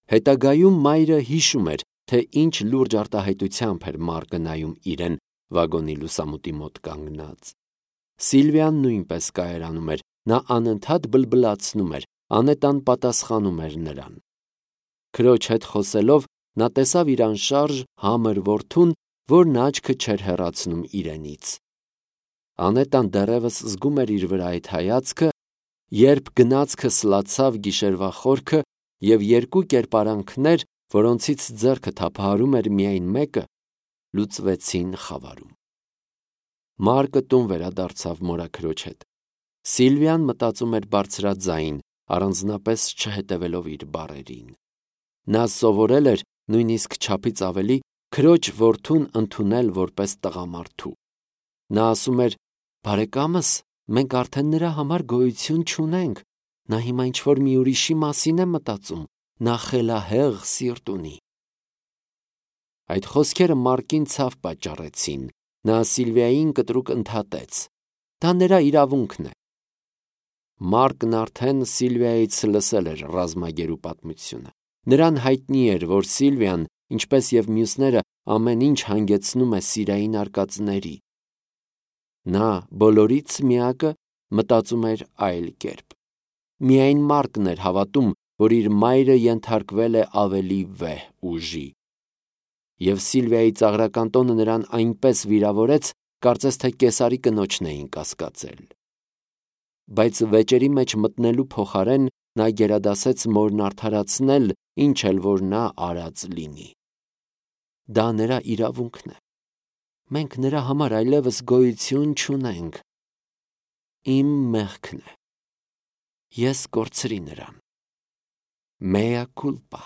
Հետագայում մայրը հիշում էր, թե ինչ լուրջ արտահայտությամբ էր Մարկը նայում իրեն վագոնի լուսամուտի մոտ կանգնած։ Սիլվիան նույնպես կայարանում էր, նա անընդհատ բլբլացնում էր, անետան պատասխանում էր նրան։ Քրոջ հետ խոսելով նա տեսավ իր անշարժ համր որդուն, որն աչքը չէր հեռացնում իրենից։ Անետան դեռևս զգում էր իր վրա այդ հայացքը, երբ գնացքը սլացավ գիշերվա խորքը և երկու կերպարանքներ, որոնցից ձեռքը թափահարում էր միայն մեկը, լուծվեցին խավարում։ Մարկը տուն վերադարձավ մորաքրոջ հետ։ Սիլվիան մտածում էր բարձրաձայն, առանձնապես չհետևելով իր բառերին։ Նա սովորել էր նույնիսկ չափից ավելի քրոջ որդուն ընդունել որպես տղամարդու։ Նա ասում էր. «Բարեկամս, մենք արդեն նրա համար գոյություն չունենք, նա հիմա ինչ-որ մի ուրիշի մասին է մտածում, նա խելահեղ սիրտ ունի»։ Այդ խոսքերը Մարկին ցավ պատճառեցին։ Նա Սիլվիային կտրուկ ընդհատեց. «Դա նրա իրավունքն է»։ Մարկն արդեն Սիլվիայից լսել էր ռազմագերու պատմությունը։ Նրան հայտնի էր, որ Սիլվիան, ինչպես և մյուսները, ամեն ինչ հանգեցնում է սիրային արկածների։ Նա բոլորից միակը մտածում էր այլ կերպ։ Միայն Մարկն էր հավատում, որ իր մայրը ենթարկվել է ավելի վեհ ուժի։ Եվ Սիլվիայի ծաղրական տոնը նրան այնպես վիրավորեց, կարծես թե կեսարի կնոջն էին կասկածել։ Բայց վեճերի մեջ մտնելու փոխարեն նա գերադասեց մորն արդարացնել, ինչ էլ որ նա արած լինի։ Դա նրա իրավունքն է։ Մենք նրա համար այլևս գոյություն չունենք։ Իմ մեղքն է։ Ես կորցրի նրան։ Mea culpa։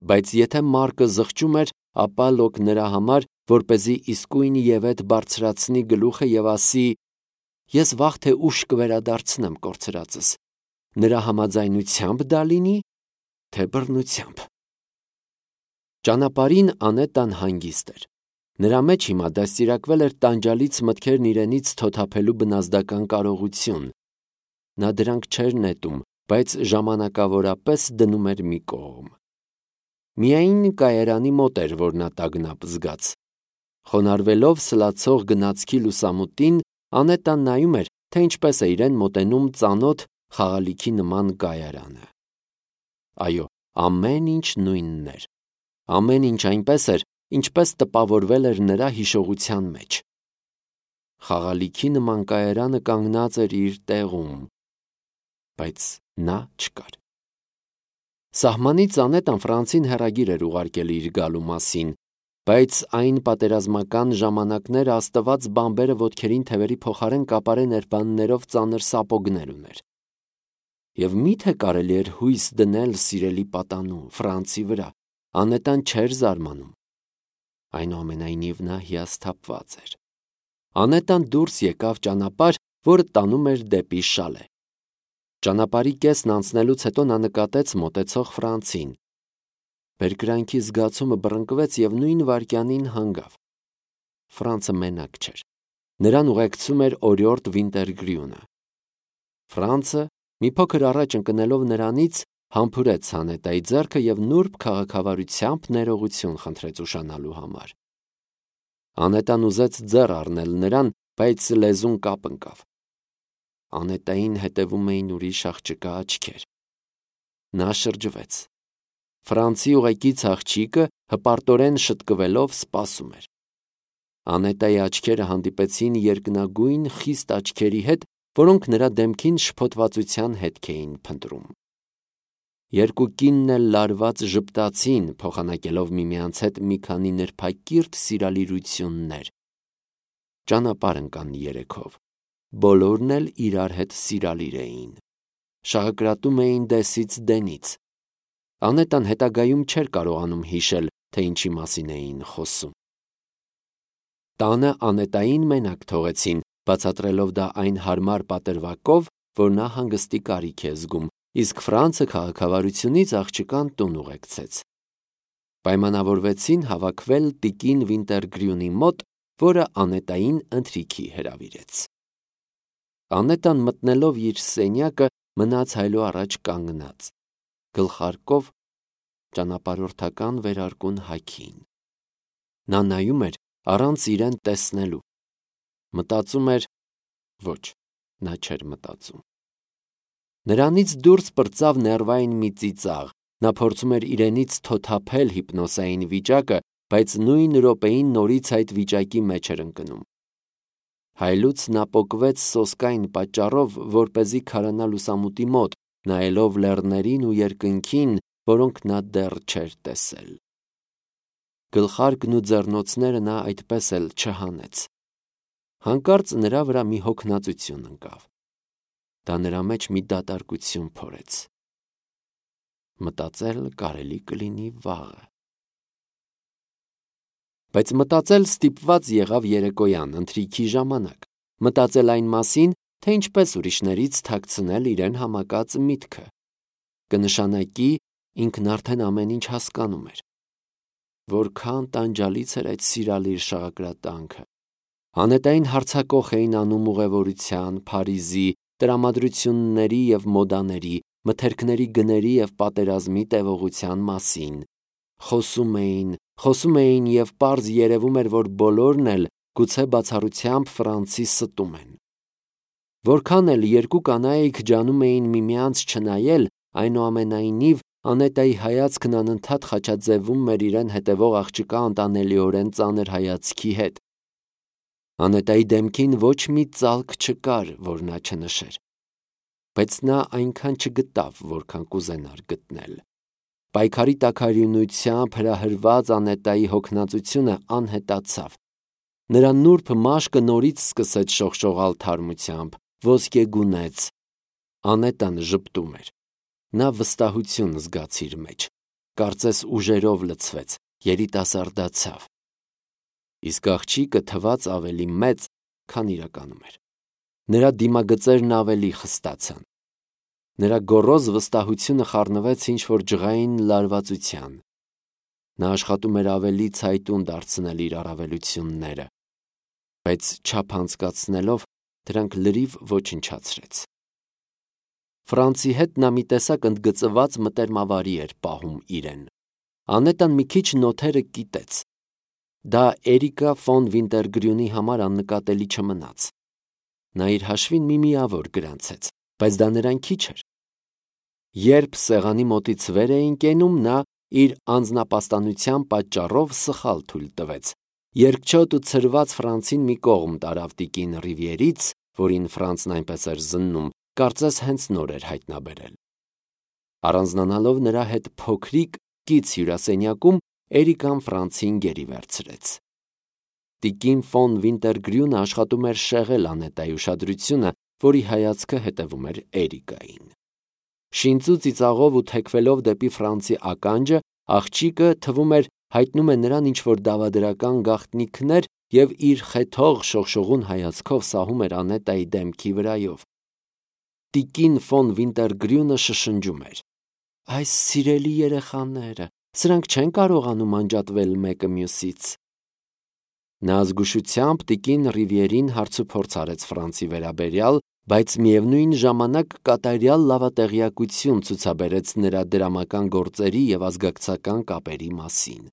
Բայց եթե Մարկը զղջում էր, ապա լոկ նրա համար, որպեսզի իսկույն ևեթ բարձրացնի գլուխը և ասի. «Ես վաղ թե ուշ կվերադարձնեմ կորցրածս»։ Նրա համաձայնությամբ դա լինի, թե բռնությամբ։ Ճանապարհին Անետան հանգիստ էր։ Նրա մեջ հիմա դաստիարակվել էր տանջալից մտքերն իրենից թոթափելու բնազդական կարողություն։ Նա դրանք չէր նետում, բայց ժամանակավորապես դնում էր մի կողմ։ Միայն կայարանի մոտ էր, որ նա տագնապ զգաց։ Խոնարհվելով սլացող գնացքի լուսամուտին, Անետան նայում էր, թե ինչպես է իրեն մոտենում ծանոթ խաղալիքի նման կայարանը։ Այո, ամեն ինչ նույնն էր։ Ամեն ինչ այնպես էր, ինչպես տպավորվել էր նրա հիշողության մեջ։ Խաղալիքի նման կայարանը կանգնած էր իր տեղում, բայց նա չկար։ Սահմանից Անետան Ֆրանսին հեռագիր էր ուղարկել իր գալու մասին, բայց այն պատերազմական ժամանակները աստված բամբերը ոտքերին թևերի փոխարեն կապարե ներբաններով ծանր սապոգներ ուներ։ Եվ միթե կարելի էր հույս դնել սիրելի պատանու Ֆրանսի վրա, Անետան չէր զարմանում։ Այնուամենայնիվ նա հիասթափված էր։ Անետան դուրս եկավ ճանապարհ, որը տանում էր դեպի Շալե։ Ճանապարհի կեսն անցնելուց հետո նա նկատեց մոտեցող Ֆրանսին։ Բերկրանքի զգացումը բռնկվեց և նույն վայրկյանին հանգավ։ Ֆրանսը մենակ չէր։ Նրան ուղեկցում էր օրիորդ Վինտերգրյունը։ Ֆրանսը, մի փոքր առաջ ընկնելով նրանից, համբուրեց Անետայի ձեռքը և նուրբ քաղաքավարությամբ ներողություն խնդրեց ուշանալու համար։ Անետան ուզեց ձեռ առնել նրան, բայց լեզուն կապ ընկավ։ Անետային հետևում էին ուրիշ աղջկա աչքեր։ Նա շրջվեց։ Ֆրանսի ուղեկից աղջիկը հպարտորեն շտկվելով սպասում էր։ Անետայի աչքերը հանդիպեցին երկնագույն խիստ աչքերի հետ, որոնք նրա դեմքին շփոթվածության հետք էին փնտրում։ Երկու կինն էլ լարված ժպտացին, փոխանակելով միմյանց հետ մի քանի նրբակիրթ սիրալիրություններ։ Ճանապարհ ընկան երեքով։ Բոլորն էլ իրար հետ սիրալիր էին։ Շաղկրատում էին դեսից դենից։ Անետան հետագայում չէր կարողանում հիշել, թե ինչի մասին էին խոսում։ Տանը Անետային մենակ թողեցին, բացատրելով դա այն հարմար պատրվակով, որ նա հանգստի կարիք է զգում, իսկ Ֆրանսը քաղաքավարությունից աղջկան տուն ուղեկցեց։ Պայմանավորվեցին հավաքվել տիկին Վինտերգրյունի մոտ, որը Անետային ընթրիքի հրավիրեց։ Անետան մտնելով իր սենյակը մնաց հայելու առաջ կանգնած, գլխարկով ճանապարհորդական վերարկուն հագին։ Նա նայում էր առանց իրեն տեսնելու։ Մտածում էր, ոչ, նա չէր մտածում։ Նրանից դուրս պրծավ ներվային մի ծիծաղ, նա փորձում էր իրենից թոթափել հիպնոսային վիճակը, բայց նույն րոպեին նորից այդ վիճակի մեջ էր ընկնում։ Հայլուց նա պոկվեց սոսկային պատճառով, որպեսզի քարանա լուսամուտի մոտ, նայելով լեռներին ու երկնքին, որոնք նա դեռ չէր տեսել։ Գլխարկն ու ձեռնոցները նա այդպես էլ չհանեց։ Հանկարծ նրա վրա մի հոգնածություն ընկավ։ Դա նրա մեջ մի դատարկություն փորեց։ Մտածել կարելի կլինի վաղը։ Բայց մտածել ստիպված եղավ երեկոյան, ընթրիքի ժամանակ, մտածել այն մասին, թե ինչպես ուրիշներից թաքցնել իրեն համակած միտքը։ Կնշանակի ինքն արդեն ամեն ինչ հասկանում էր։ Որքան տանջալից էր այդ սիրալիր շաղակրատանքը։ Անետային հարձակող էին անում ուղևորության, Փարիզի, տրամադրությունների և մոդաների, մթերքների գների և պատերազմի տևողության մասին։ Խոսում էին և պարզ երևում էր, որ բոլորն էլ գուցե բացառությամբ Ֆրանցի ստում են։ Որքան էլ երկու կանայք ջանում էին միմյանց չնայել, այնուամենայնիվ Անետայի հայացքն անընդհատ խաչաձևվում էր իրեն հետևող աղջկա անտանելիորեն ծանր հայացքի հետ։ Անետայի դեմքին ոչ մի ծալք չկար, որ նա չնշեր։ Բայց նա այնքան չգտավ, որքան կուզենար գտնել։ Պայքարի տաքարյունությամբ հրահրված Անետայի հոգնածությունը անհետացավ։ Նրա նուրբ մաշկը նորից սկսեց շողշողալ թարմությամբ, ոսկեգունեց։ Անետան ժպտում էր։ Նա վստահություն զգաց իր մեջ, կարծես ուժերով լցվեց, երիտասարդացավ։ Իսկ աղջիկը թվաց ավելի մեծ, քան իրականում էր։ Նրա դիմագծերն ավելի խստացան։ Նրա գոռոզ վստահությունը խառնվեց ինչ-որ ջղային լարվածության։ Նա աշխատում էր ավելի ցայտուն դարձնել իր առավելությունները, բայց չափ անցկացնելով դրանք լրիվ ոչնչացրեց։ Ֆրանցի հետ նա մի տեսակ ընդգծված մտերմավարի էր պահում իրեն։ Անետան մի քիչ նոթերը կիտեց։ Դա Էրիկա ֆոն Վինտերգրյունի համար աննկատելի չմնաց։ Նա իր հաշվին մի միավոր գրանցեց, բայց դա նրան քիչ էր։ Երբ սեղանի մոտից վեր էին կենում, նա իր անձնապաստանության պատճառով սխալ թույլ տվեց։ Երկչոտ ու ցրված Ֆրանցին մի կողմ տարավ տիկին Ռիվիերից, որին Ֆրանցն այնպես էր զննում, կարծես հենց նոր էր հայտնաբերել։ Առանձնանալով նրա հետ փոքրիկ կից հյուրասենյակում, Էրիկան Ֆրանցին գերի վերցրեց։ Տիկին ֆոն Վինտերգրյունը աշխատում էր շեղել Անետայի ուշադրությունը, որի հայացքը հետևում էր Էրիկային։ Շինծու ծիծաղով ու թեքվելով դեպի Ֆրանցի ականջը, աղջիկը թվում էր հայտնում է նրան ինչ-որ դավադրական գաղտնիքներ և իր խեթող շողշողուն հայացքով սահում էր Անետայի դեմքի վրայով։ Տիկին ֆոն Վինտերգրյունը շշնջում էր. «Այս սիրելի երեխաները, սրանք չեն կարողանում անջատվել մեկը մյուսից»։ Նա զգուշությամբ տիկին Ռիվիերին հարցուփորձ արեց Ֆրանցի վերաբերյալ, բայց միևնույն ժամանակ կատարյալ լավատեղյակություն ցուցաբերեց նրա դրամական գործերի և ազգակցական կապերի մասին։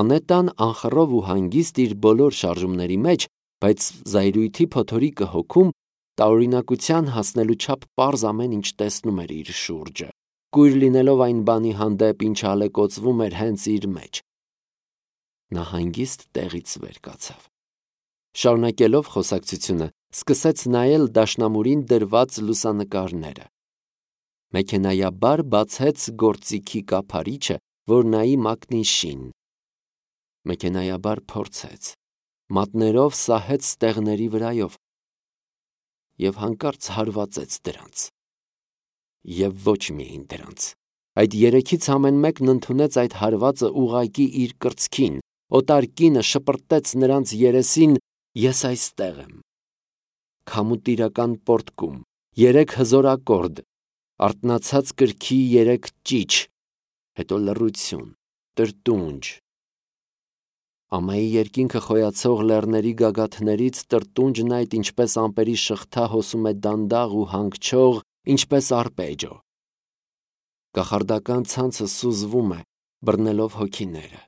Անետան անխռով ու հանգիստ իր բոլոր շարժումների մեջ, բայց զայրույթի փոթորիկը հոգում, տարօրինակության հասնելու չափ պարզ ամեն ինչ տեսնում էր իր շուրջը, կույր լինելով այն բանի հանդեպ, ինչը ալեկոծվում էր հենց իր մեջ։ Նա հանգիստ տեղից վեր կացավ։ Շարունակելով խոսակցությունը, սկսեց նայել դաշնամուրին դրված լուսանկարները։ Մեքենայաբար բացեց գործիքի կափարիչը, որ նայի մակնիշին։ Մեքենայաբար փորձեց, մատներով սահեց ստեղների վրայով և հանկարծ հարվածեց դրանց։ Եվ ոչ միայն դրանց։ Այդ երեքից ամեն մեկն ընդունեց այդ հարվածը ուղղակի իր կրծքին, օտար կինը շպրտեց նրանց երեսին. «Ես այստեղ եմ»։ Քամուտիրական պոռթկում, 3 հզոր ակորդ, արթնացած կրքի 3 ճիչ, հետո լռություն, տրտունջ։ Ամայի երկինքը խոյացող լեռների գագաթներից տրտունջն այդ ինչպես ամպերի շղթա հոսում է դանդաղ ու հանգչող, ինչպես արպեջիո։ Կախարդական ցանցը սուզվում է, բռնելով հոգիները։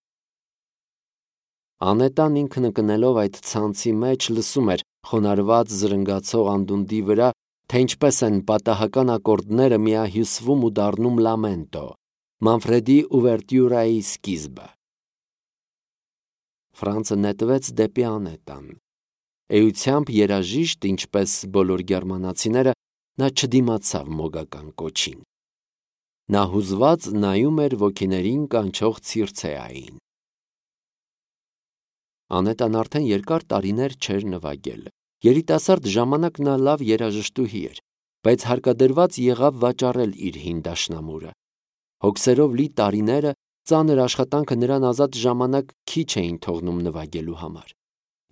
Անետան ինքն ընկնելով այդ ցանցի մեջ լսում էր խոնարհված զրնգացող անդունդի վրա, թե ինչպես են պատահական ակորդները միահյուսվում ու դառնում լամենտո, Մանֆրեդի ուվերտյուրայի սկիզբը։ Ֆրանցը նետվեց դեպի Անետան։ Էությամբ երաժիշտ, ինչպես բոլոր գերմանացիները, նա չդիմացավ մոգական կոչին։ Նա հուզված նայում էր ոգիներին կանչող Ցիրցեային։ Անետան արդեն երկար տարիներ չէր նվագել։ Երիտասարդ ժամանակ նա լավ երաժշտուհի էր, բայց հարկադրված եղավ վաճառել իր հին դաշնամուրը։ Հոգսերով լի տարիները, ծանր աշխատանքը նրան ազատ ժամանակ քիչ էին թողնում նվագելու համար։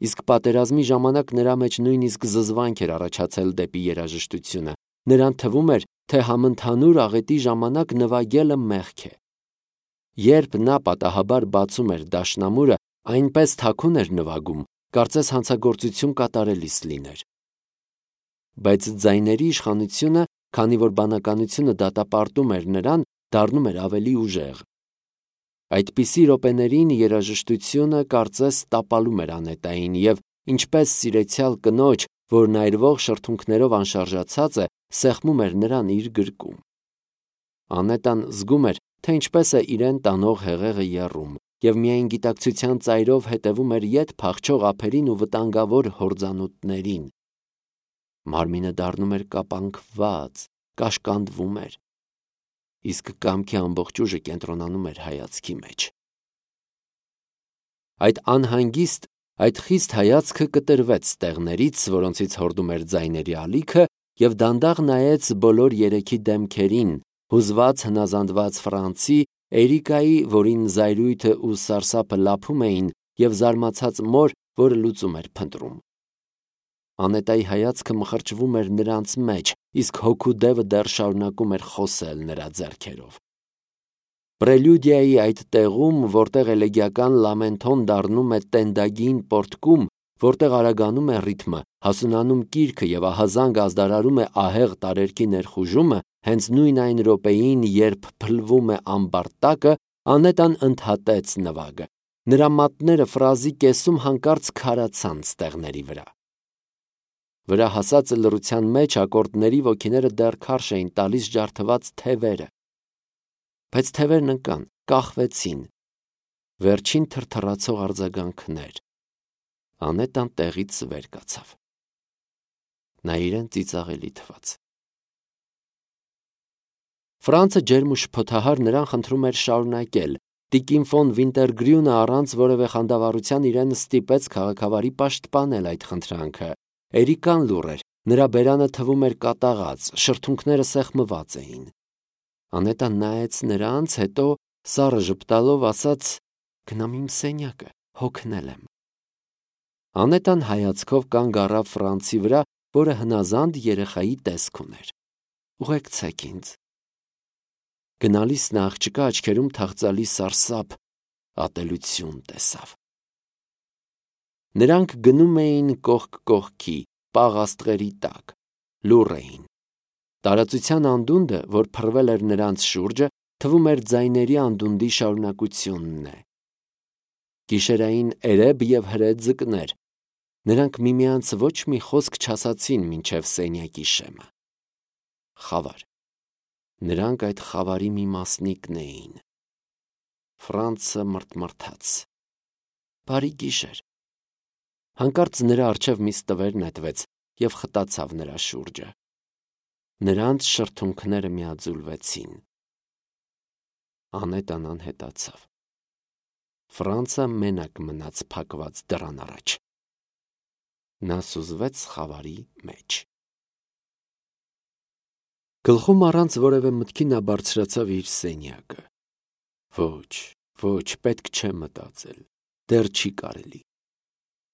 Իսկ պատերազմի ժամանակ նրա մեջ նույնիսկ զզվանք էր առաջացել դեպի երաժշտությունը։ Նրան թվում էր, թե համընդհանուր աղետի ժամանակ նվագելը մեղք է։ Երբ նա պատահաբար բացում էր դաշնամուրը, այնպես թաքուն էր նվագում, կարծես հանցագործություն կատարելիս լիներ։ Բայց ձայների իշխանությունը, քանի որ բանականությունը դատապարտում էր նրան, դառնում էր ավելի ուժեղ։ Այդպիսի րոպեներին երաժշտությունը կարծես տապալում էր Անետային և, ինչպես սիրեցյալ կնոջ, որն այրվող շրթունքներով անշարժացած է, սեղմում էր նրան իր գրկում։ Անետան զգում էր, թե ինչպես է իրեն տանող հեղեղը եռում, և միայն գիտակցության ծայրով հետևում էր ետ փախչող ափերին ու վտանգավոր հորձանուտներին։ Մարմինը դառնում էր կապանքված, կաշկանդվում էր, իսկ կամքի ամբողջ ուժը կենտրոնանում էր հայացքի մեջ։ Այդ անհանգիստ, այդ խիստ հայացքը կտրվեց տեղներից, որոնցից հորդում էր ձայների ալիքը, և դանդաղ նայեց բոլոր երեքի դեմքերին, հուզված հնազանդված Ֆրանցի, Էրիկայի, որին զայրույթը ու սարսափը լափում էին, և զարմացած մոր, որը լուծում էր փնտրում։ Անետայի հայացքը մխրճվում էր նրանց մեջ, իսկ հոգու դևը դեռ շարունակում էր խոսել նրա ձեռքերով։ Պրելյուդիայի այդ տեղում, որտեղ էլեգիական լամենթոն դառնում է տենդագին պորտկում, որտեղ արագանում է ռիթմը, հասունանում կիրքը և ահազանգ ազդարարում է ահեղ տարերքի ներխուժումը, հենց նույն այն րոպեին, երբ փլվում է ամբարտակը, Անետան ընդհատեց նվագը։ Նրա մատները ֆրազի կեսում հանկարծ քարացան ստեղների վրա։ Վրա հասած լռության մեջ ակորդների ոգիները դեռ քարշ էին տալիս ջարդված թևերը։ Բայց թևերն ընկան, կախվեցին։ Վերջին թրթռացող արձագանքներ։ Անետան տեղից վեր կացավ։ Նա իրեն ծիծաղելի թվաց։ Ֆրանցը ջերմ ու շփոթահար նրան խնդրում էր շարունակել։ Տիկին ֆոն Վինտերգրյունը առանց որևէ խանդավառության իրեն ստիպեց քաղաքավարի պաշտպանել այդ խնդրանքը։ Էրիկան լուռ էր, նրա բերանը թվում էր կատաղած, շրթունքները սեղմված էին։ Անետան նայեց նրանց, հետո սառը ժպտալով ասաց. «Գնամ իմ սենյակը, հոգնել եմ»։ Անետան հայացքով կանգ առավ Ֆրանցի վրա, որը հնազանդ երեխայի տեսք ուներ։ «Ուղեկցեք ինձ»։ Գնալիս նա աղջկա աչքերում թախծալի սարսափ, ատելություն տեսավ։ Նրանք գնում էին կողք կողքի, պաղ աստղերի տակ, լուռ էին։ Տարածության անդունդը, որ փռվել էր նրանց շուրջը, թվում էր ձայների անդունդի շարունակությունն է։ Գիշերային էրեբ և հրետ ձկներ։ Նրանք միմյանց ոչ մի խոսք չասացին մինչև սենյակի շեմը։ Խավար։ Նրանք այդ խավարի մի մասնիկն էին։ Ֆրանցը մռթմռթաց։ Բարի գիշեր։ Հանկարծ նրա առջև մի ստվեր նետվեց և խտացավ նրա շուրջը։ Նրանց շրթունքները միաձուլվեցին։ Անետան անհետացավ։ Ֆրանցը մենակ մնաց փակված դռան առաջ։ Նա սուզվեց խավարի մեջ։ Գլխում առանց որևէ մտքի նա բարձրացավ իր սենյակը։ Ոչ, պետք չէ մտածել, դեռ չի կարելի։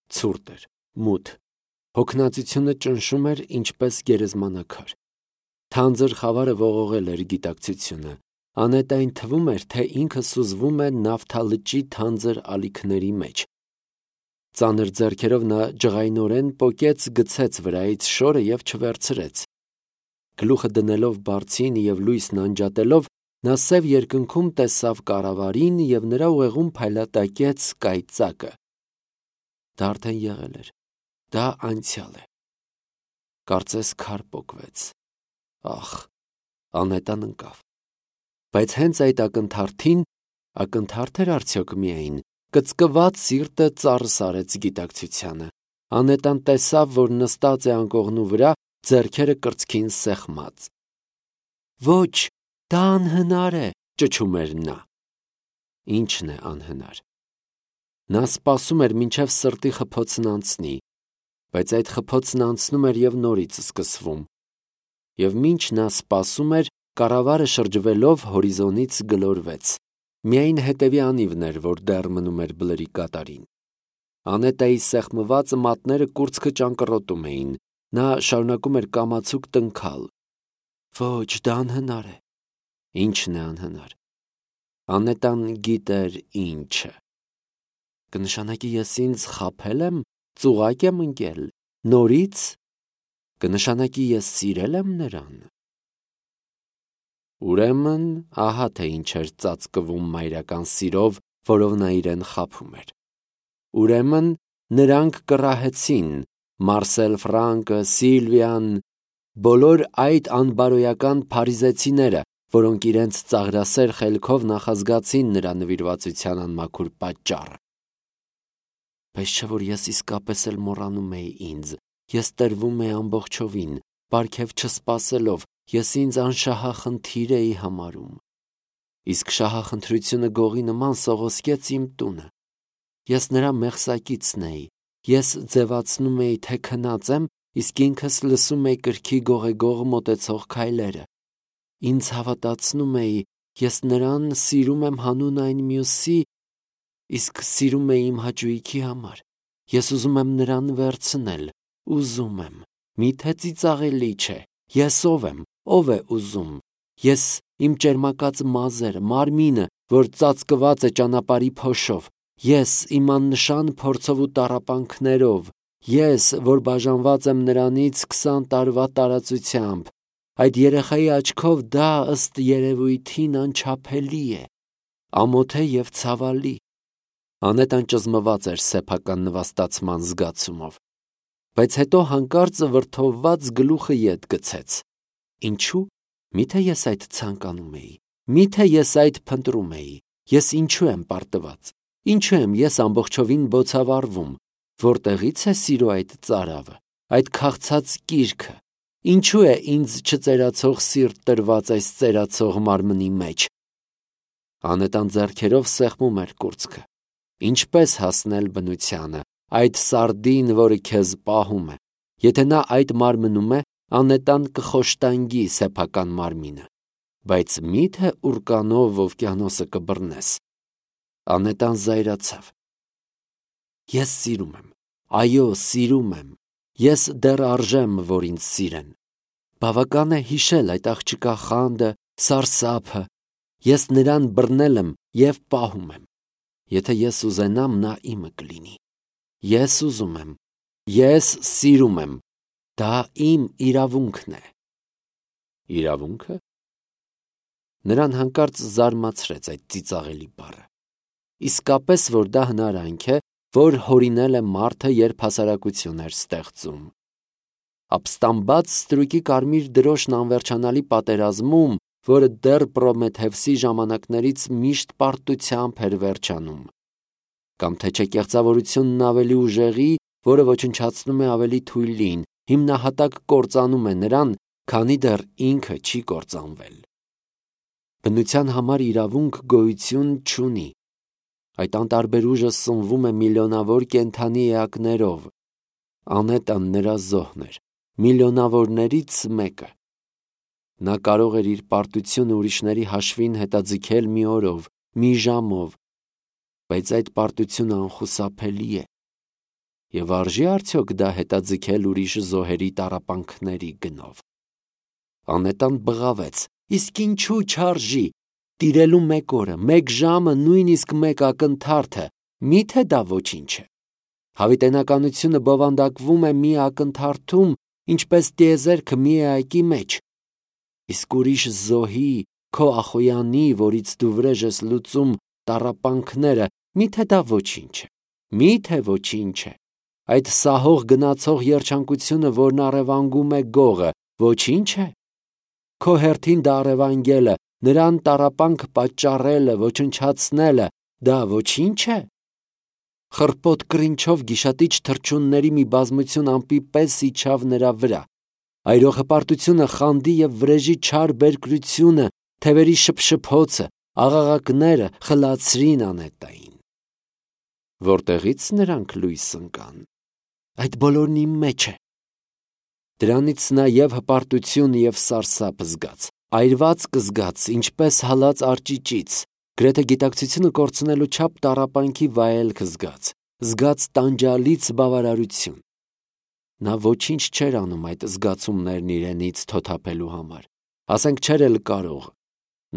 Ցուրտ էր, մութ, հոգնածությունը ճնշում էր ինչպես գերեզմանակար։ Թանձր խավարը ողողել էր գիտակցությունը։ Անետային թվում էր, թե ինքը սուզվում է նավթալճի թանձր ալիքների մեջ։ Ծանր ձեռքերով նա ջղայնորեն պոկեց գցեց վրայից շորը և չվերցրեց։ Գլուխը դնելով բարձին և լույսն անջատելով, Նա սև երկնքում տեսավ կառավարին և նրա ուղեղում փայլատակեց կայծակը։ Դա արդեն եղել էր, դա անցյալ է։ Կարծես քար պոկվեց։ Ախ, Անետան ընկավ։ Բայց հենց այդ ակնթարթին, ակնթարթ էր արդյոք միայն, կծկված սիրտը ծառ սարեց գիտակցությանը։ Անետան տեսավ, որ նստած է անկողնու վրա, ձեռքերը կրծքին սեղմած։ Ոչ, դա անհնար է, ճչում էր նա։ Ինչն է անհնար։ Նա սպասում էր, մինչև սրտի խփոցն անցնի, բայց այդ խփոցն անցնում էր և նորից սկսվում։ Եվ մինչ նա սպասում էր, կառավարը շրջվելով հորիզոնից գլորվեց։ Միայն հետևի անիվն էր, որ դեռ մնում էր բլրի կատարին։ Անետայի սեղմված մատները կուրծքը ճանկռոտում էին։ Նա շարունակում էր կամացուկ տնքալ։ Ոչ, դա անհնար է։ Ինչն է անհնար։ Անետան գիտեր ինչը։ Կնշանակի ես ինձ խաբել եմ, ծուղակ եմ ընկել, նորից։ Կնշանակի ես սիրել եմ նրան։ Ուրեմն, ահա թե ինչ էր ծածկվում մայրական սիրով, որով նա իրեն խաբում էր։ Ուրեմն, նրանք կռահեցին, Մարսել Ֆրանկը, Սիլվիան, բոլոր այդ անբարոյական փարիզեցիները, որոնք իրենց ծաղրասեր խելքով նախազգացին նրա նվիրվածության անմաքուր պատճառը։ Բայց չէ՞ որ ես իսկապես էլ մոռանում էի ինձ, ես տրվում էի ամբողջովին, պարգև չսպասելով, ես ինձ անշահախնդիր էի համարում։ Իսկ շահախնդրությունը գողի նման սողոսկեց իմ տունը։ Ես նրա մեղսակիցն էի, ես ձևացնում էի, թե քնած եմ, իսկ ինքս լսում էի կրքի գողեգող մոտեցող քայլերը։ Ինձ հավատացնում էի, ես նրան սիրում եմ հանուն այն մյուսի, իսկ սիրում էի իմ հաճույքի համար։ Ես ուզում եմ նրան վերցնել, ուզում եմ։ Միթե ծիծաղելի չէ։ Ես ով եմ, ով է ուզում։ Ես իմ ճերմակած մազերը, մարմինը, որ ծածկված է ճանապարհի փոշով։ Ես իմ աննշան փորձով ու տառապանքներով։ Ես, որ բաժանված եմ նրանից 20 տարվա տարածությամբ։ Այդ երեխայի աչքով դա ըստ երևույթին անչափելի է, ամոթ է և ցավալի։ Անետան ճզմված էր սեփական նվաստացման զգացումով։ Բայց հետո հանկարծ վրդովված գլուխը ետ գցեց։ Ինչու՞։ Միթե ես այդ ցանկանում էի։ Միթե ես այդ փնտրում էի։ Ես ինչու եմ պարտված։ Ինչու եմ ես ամբողջովին բոցավառվում։ Որտեղից է սիրո այդ ծարավը, այդ քաղցած կիրքը։ Ինչու է ինձ չծերացող սիրտ տրված այս ծերացող մարմնի մեջ։ Անետան ձեռքերով սեղմում էր կուրծքը։ Ինչպես հասնել բնությանը, այդ սարդին, որը քեզ պահում է։ Եթե նա այդ մարմնում է, Անետան կխոշտանգի սեփական մարմինը։ Բայց մի՞թե ուրկանով օվկիանոսը կբռնես։ Անետան զայրացավ։ Ես սիրում եմ, այո, սիրում եմ։ Ես դեռ արժեմ, որ ինձ սիրեն։ Բավական է հիշել այդ աղջկա խանդը, սարսափը։ Ես նրան բռնել եմ և պահում եմ։ Եթե ես ուզենամ, նա իմը կլինի։ Ես ուզում եմ։ Ես սիրում եմ։ Դա իմ իրավունքն է։ Իրավունքը։ Նրան հանկարծ զարմացրեց այդ ծիծաղելի բառը։ Իսկապես, որ դա հնարանք է, որ հորինել է մարդը, երբ հասարակություն էր ստեղծում։ Ապստամբած ստրուկի կարմիր դրոշն անվերջանալի պատերազմում, որը դեռ Պրոմեթևսի ժամանակներից միշտ պարտությամբ էր վերջանում։ Կամ թե չէ կեղծավորությունն ավելի ուժեղի, որը ոչնչացնում է ավելի թույլին, հիմնահատակ կործանում է նրան, քանի դեռ ինքը չի կործանվել։ Բնության համար իրավունք գոյություն չունի։ Այդ անտարբեր ուժը սնվում է միլիոնավոր կենդանի էակներով։ Անետան նրա զոհն էր, միլիոնավորներից մեկը։ Նա կարող էր իր պարտությունը ուրիշների հաշվին հետաձգել մի օրով, մի ժամով, բայց այդ պարտությունը անխուսափելի է։ Եվ արժի՞ արդյոք դա հետաձգել ուրիշ զոհերի տառապանքների գնով։ Անետան բղավեց. Իսկ ինչու չարժի։ Տիրելու մեկ օրը, մեկ ժամը, նույնիսկ մեկ ակնթարթը, միթե դա ոչինչ է։ Հավիտենականությունը բովանդակվում է մի ակնթարթում, ինչպես տիեզերքը մի էակի մեջ։ Իսկ ուրիշ զոհի, քո ախոյանի, որից դու վրեժ ես լուծում տառապանքները, միթե դա ոչինչ է, միթե ոչինչ է, այդ սահող գնացող երջանկությունը, որն առևանգում է գողը, ոչինչ է, քո հերթին դա առևանգելը, նրան տառապանք պատճառելը, ոչնչացնելը, դա ոչինչ է, խռպոտ կռինչով գիշատիչ թռչունների մի բազմություն ամպի պես իջավ նրա վրա, այրոխպարտությունը, խանդի և վրեժի չար բերկրությունը, թևերի շփշփոցը, աղաղակները խլացրին Անետային։ Որտեղից նրանք լույս ընկան։ Այդ բոլորն իմ մեջ է։ Դրանից նա և հպարտություն և սարսափ զգաց, այրված կզգաց, ինչպես հալած արճիճից, գրեթե գիտակցությունը կորցնելու չափ տառապանքի վայելք զգաց տանջալից բավարարություն։ Նա ոչինչ չէր անում այդ զգացումներն իրենից թոթափելու համար, ասենք չէր էլ կարող։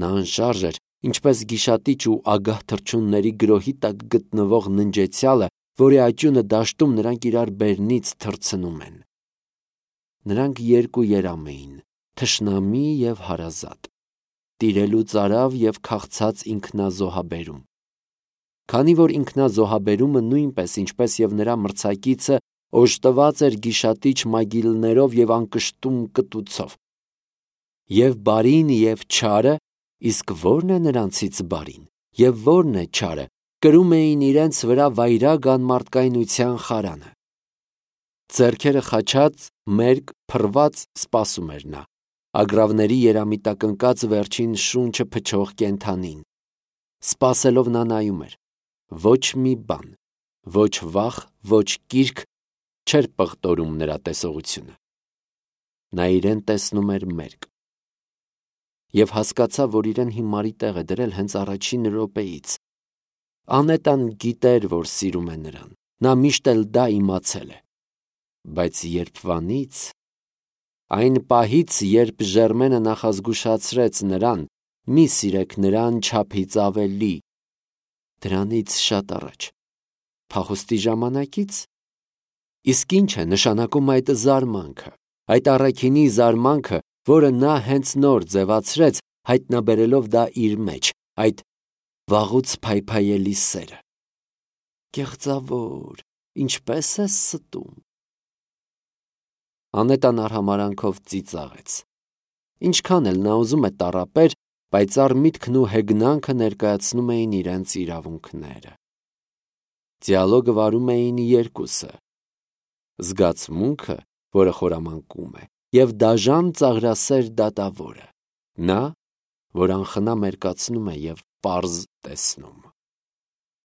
Նա անշարժ էր, ինչպես գիշատիչ ու ագահ թռչունների գրոհի տակ գտնվող ննջեցյալը, որի աճյունը դաշտում նրանք իրար բերնից թռցնում են։ Նրանք երկու երամ էին, թշնամի և հարազատ, տիրելու ծարավ և քաղցած ինքնազոհաբերում։ Քանի որ ինքնազոհաբերումը նույնպես, ինչպես և նրա մրցակիցը, օժտված էր գիշատիչ մագիլներով և անկշտում կտուցով։ Եվ բարին և չարը, իսկ ո՞րն է նրանցից բարին, և ո՞րն է չարը, կրում էին իրենց վրա վայրագ անմարդկայնության խարանը։ Ձեռքերը խաչած, մերկ, փռված սպասում էր նա, ագռավների երամիտակնկած վերջին շունչը փչող կենդանին։ Սպասելով նա նայում էր, ոչ մի բան, ոչ վախ, ոչ կիրք չէր պղտորում նրա տեսողությունը։ Նա իրեն տեսնում էր մերկ։ Եվ հասկացավ, որ իրեն հիմարի տեղ է դրել հենց առաջին րոպեից։ Անետան գիտեր, որ սիրում է նրան, նա միշտ էլ դա իմացել է։ Բայց երբվանից, այն պահից, երբ Ժերմենը նախազգուշացրեց նրան, մի սիրեք նրան չափից ավելի, դրանից շատ առաջ, փախուստի ժամանակից, իսկ ինչ է նշանակում այդ զարմանքը, այդ առաքինի զարմանքը, որը նա հենց նոր ձևացրեց, հայտնաբերելով դա իր մեջ, այդ վաղուց փայփայելի սերը։ Կեղծավոր, ինչպես ես ստում։ Անետան արհամարանքով ծիծաղեց։ Ինչքան էլ նա ուզում է տառապեր, պայծառ միտքն ու հեգնանքը ներկայացնում էին իրենց իրավունքները։ Դիալոգը վարում էին երկուսը։ Զգացմունքը, որը խորամանկում է, և դաժան ծաղրասեր դատավորը, նա, որ անխնա մերկացնում է և պարզ տեսնում։